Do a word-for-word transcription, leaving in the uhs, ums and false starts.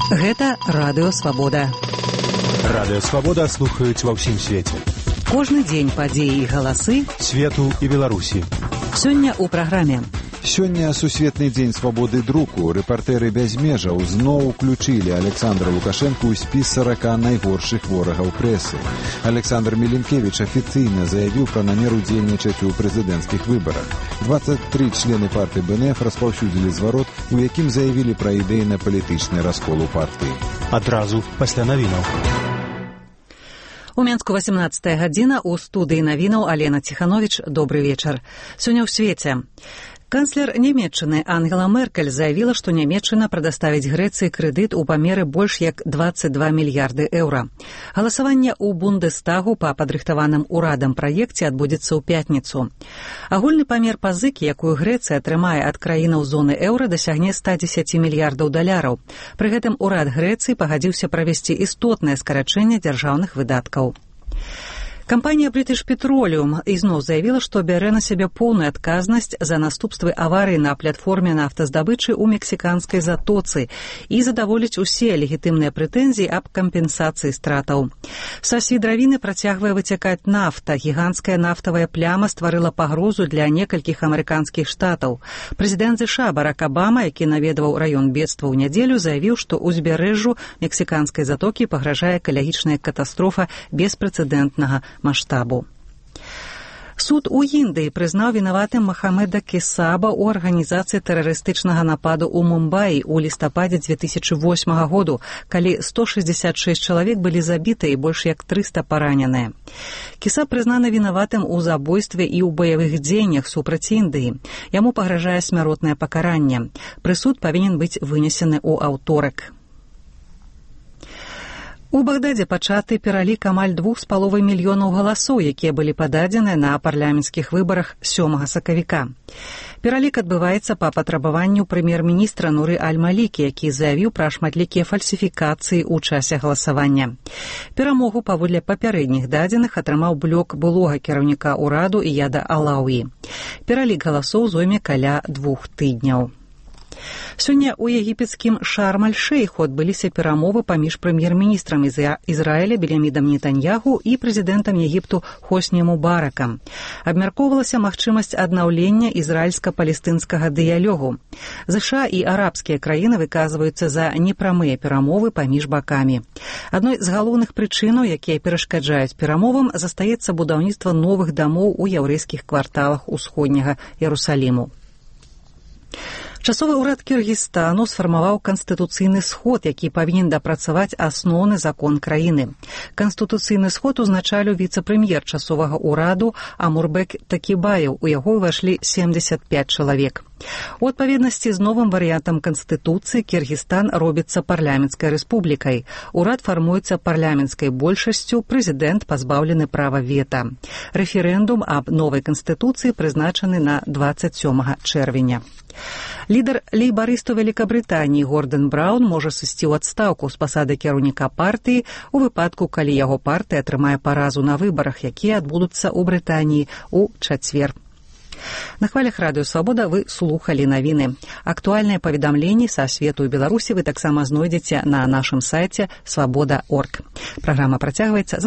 Гэта Радыё Свабода. Радыё Свабода слухаюць ва ўсім свеце. Кожны дзень падзеі і галасы свету і Беларусі. Сёння ў праграме. Сёння сусветны дзень свабоды друку. Рэпартэры без межаў зноў уключылі Александра Лукашэнку ў спіс сарака найгоршых ворагаў прэсы. Александр Меленкевіч афіцыйна заявіў пра намер удзельнічаць у прэзідэнцкіх выбарах. двадцать три члены партыі бэ эн эф распаўсюдзілі зварот, у якім заявілі пра ідэйна-палітычны раскол у партыі. Адразу пасля навінаў. У Менску восемнадцатая гадзіна, у студыі навінаў Алена Ціхановіч. Добры вечар. Сёння ў свеце. Канцлер Нямецчыны Ангела Меркель заявіла, што Нямецчына прадаставіць Грэцыі крэдыт у памеры больш як двадцать два мільярды еўра. Галасаванне ў Бундестагу па падрыхтаваным урадам праекце адбудзецца ў пятніцу. Агульны памер пазыкі, якую Грэцыя атрымае ад краінаў зоны еўра, дасягне ста дзесяць мільярдаў даляраў. Пры гэтым урад Грэцыі пагадзіўся правесці істотнае скарачэнне дзяржаўных выдаткаў. Кампанія British Petroleum ізноў заявіла, што бярэ на сябе поўную адказнасць за наступствы аварыі на платформе нафтаздабычы ў мексіканскай затоцы і задаволіць усе легітымныя прэтэнзіі аб кампенсацыі стратаў. Са свідравіны працягвае выцякаць нафта. Гіганцкая нафтавая пляма стварыла пагрозу для некалькіх амерыканскіх штатаў. Прэзідэнт ЗША Барак Абама, які наведваў раён бедства ў нядзелю, заявіў, што ўзбярэжжу мексіканскай затокі пагражае экалагічная катастрофа беспрэцэдэнтнага маштабу. Суд у Індыі прызнаў вінаватым Махамеда Кесаба ў арганізацыі тэрарыстычнага нападу ў Мумбаі ў лістападзе дзве тысячы восьмага году, калі сто шэсцьдзесят шэсць чалавек былі забіты і больш як трыста параненыя. Кесаб прызнаны вінаватым у забойстве і ў баявых дзеяннях супраць Індыі. Яму пагражае смяротнае пакаранне. Прысуд павінен быць вынесены ў аўторак. У Багдадзе пачаты пералік амаль двух з паловай мільёнаў галасоў, якія былі пададзены на парламенцкіх выбарах сёмага сакавіка. Пералік адбываецца па патрабаванню прэм'ер-міністра Нуры Аль-Малікі, які заявіў пра шматлікія фальсіфікацыі ў часе галасавання. Перамогу паводле папярэдніх дадзеных атрымаў блок былога кіраўніка ўраду Ияда Алауі. Пералік галасоў зойме каля двух тыдняў. Сёння ў егіпецкім Шарм-аль-Шэйху адбыліся перамовы паміж прэм'ер-міністрам Ізраіля Беньямінам Нетаньяху і прэзідэнтам Егіпту Хосні Мубаракам. Абмяркоўвалася магчымасць аднаўлення ізраільска-палестынскага дыялогу. ЗША і арабскія краіны выказваюцца за непрамыя перамовы паміж бакамі. Адной з галоўных прычынаў, якія перашкаджаюць перамовам, застаецца будаўніцтва новых дамоў у яўрэйскіх кварталах усходняга Ярусаліму. Часовы ўрад Кіргізстану сфармаваў канстытуцыйны сход, які павінен дапрацаваць асноўны закон краіны. Канстытуцыйны сход узначаліў віцэ-прэм'ер часовага ўраду Амурбек Такібаев. У яго ўвайшлі семдзесят пяць чалавек. У адпаведнасці з новым варыянтам Канстытуцыі Кіргізстан робіцца парламенцкай рэспублікай. Урад фармуецца парламенцкай большасцю, прэзідэнт пазбаўлены права вета. Рэферэндум аб новай канстытуцыі прызначаны на двадцать сёмага чэрвеня. Лідар лейбарыстаў Вялікабрытаніі Гордон Браўн можа сысці ў адстаўку з пасады кіраўніка партыі у выпадку, калі яго партыя атрымае паразу на выбарах, якія адбудуцца ў Брытаніі ў чацвер. На хвалях Радыё Свабода вы слухалі навіны. Актуальныя паведамленні са свету і Беларусі вы таксама знойдзеце на нашым сайце свабода точка орг. Праграма працягваецца.